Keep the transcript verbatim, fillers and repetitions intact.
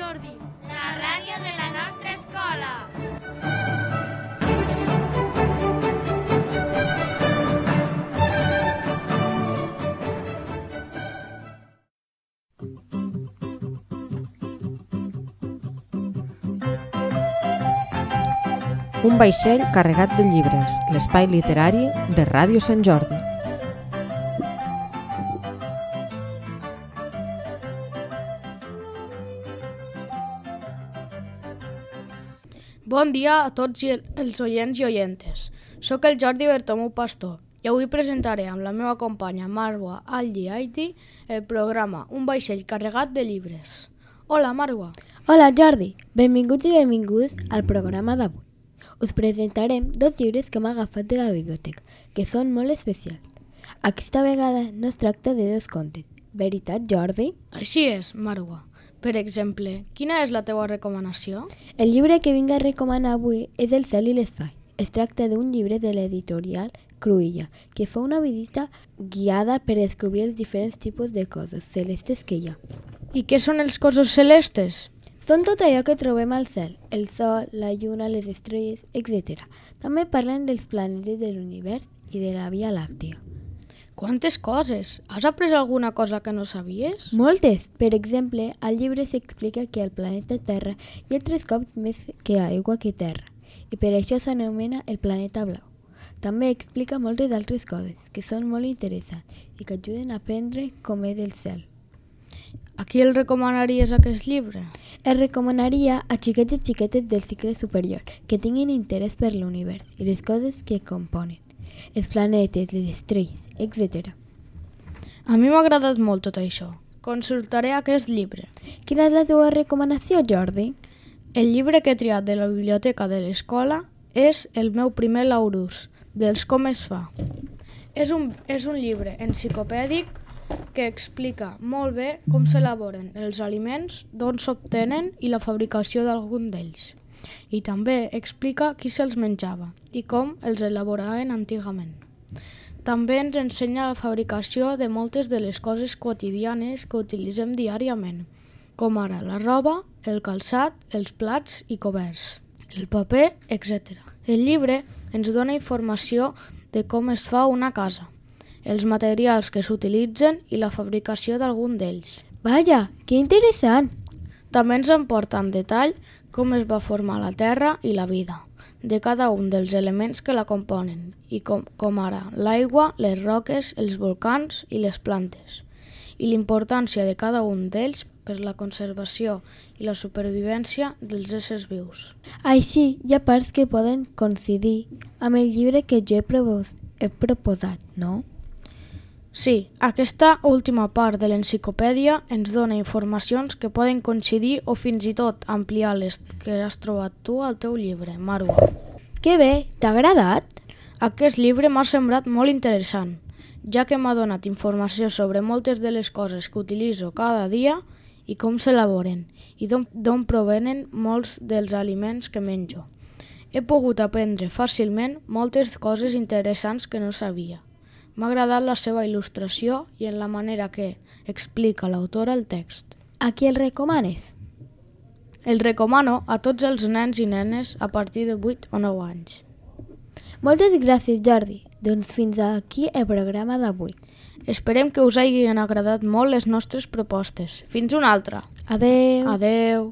Jordi, la ràdio de la nostra escola. Un vaixell carregat de llibres, l'espai literari de Ràdio Sant Jordi. Bon dia a tots els oients i oientes. Soc el Jordi Bertomeu Pastor i avui presentaré amb la meva companya Marwa Alli Aiti el programa Un vaixell carregat de llibres. Hola, Marwa. Hola, Jordi. Benvinguts i benvinguts al programa d'avui. Us presentarem dos llibres que hem agafat de la biblioteca, que són molt especials. Aquesta vegada no es tracta de dos contes. Veritat, Jordi? Així és, Marwa. Per exemple, quina és la teva recomanació? El llibre que vinc a recomanar avui és El cel i l'espai. Es tracta d'un llibre de l'editorial Cruïlla, que fa una visita guiada per descobrir els diferents tipus de coses celestes que hi ha. I què són els cossos celestes? Són tot allò que trobem al cel, el sol, la lluna, les estrelles, etcètera. També parlen dels planetes de l'univers i de la Via Làctia. Quantes coses! Has après alguna cosa que no sabies? Moltes! Per exemple, al llibre s'explica que al planeta Terra hi ha tres cops més que aigua que terra, i per això s'anomena el planeta blau. També explica moltes altres coses que són molt interessants i que ajuden a aprendre com és el cel. A qui el recomanaries aquest llibre? El recomanaria a xiquets i xiquetes del cicle superior que tinguin interès per l'univers i les coses que componen, els planetes, les estrelles, etcètera. A mi m'ha agradat molt tot això. Consultaré aquest llibre. Quina és la teva recomanació, Jordi? El llibre que he triat de la biblioteca de l'escola és El meu primer Laurus, dels Com es fa. És un, és un llibre enciclopèdic que explica molt bé com s'elaboren els aliments, d'on s'obtenen i la fabricació d'algun d'ells. I també explica qui se'ls menjava i com els elaboraven antigament. També ens ensenya la fabricació de moltes de les coses quotidianes que utilitzem diàriament, com ara la roba, el calçat, els plats i coberts, el paper, etcètera. El llibre ens dona informació de com es fa una casa, els materials que s'utilitzen i la fabricació d'algun d'ells. Vaja, que interessant! També ens emporta en detall com es va formar la Terra i la vida, de cada un dels elements que la componen, i com, com ara l'aigua, les roques, els volcans i les plantes, i l'importància de cada un d'ells per la conservació i la supervivència dels éssers vius. Així, hi ha parts que poden coincidir amb el llibre que jo he, propos- he proposat, no? Sí, aquesta última part de l'enciclopèdia ens dona informacions que poden coincidir o fins i tot ampliar les que has trobat tu al teu llibre, Marwa. Que bé, t'ha agradat? Aquest llibre m'ha semblat molt interessant, ja que m'ha donat informació sobre moltes de les coses que utilitzo cada dia i com s'elaboren, i d'on provenen molts dels aliments que menjo. He pogut aprendre fàcilment moltes coses interessants que no sabia. M'ha agradat la seva il·lustració i en la manera que explica l'autora el text. A qui el recomanes? El recomano a tots els nens i nenes a partir de vuit o nou anys. Moltes gràcies, Jordi. Doncs fins aquí el programa d'avui. Esperem que us hagin agradat molt les nostres propostes. Fins una altra. Adeu. Adeu.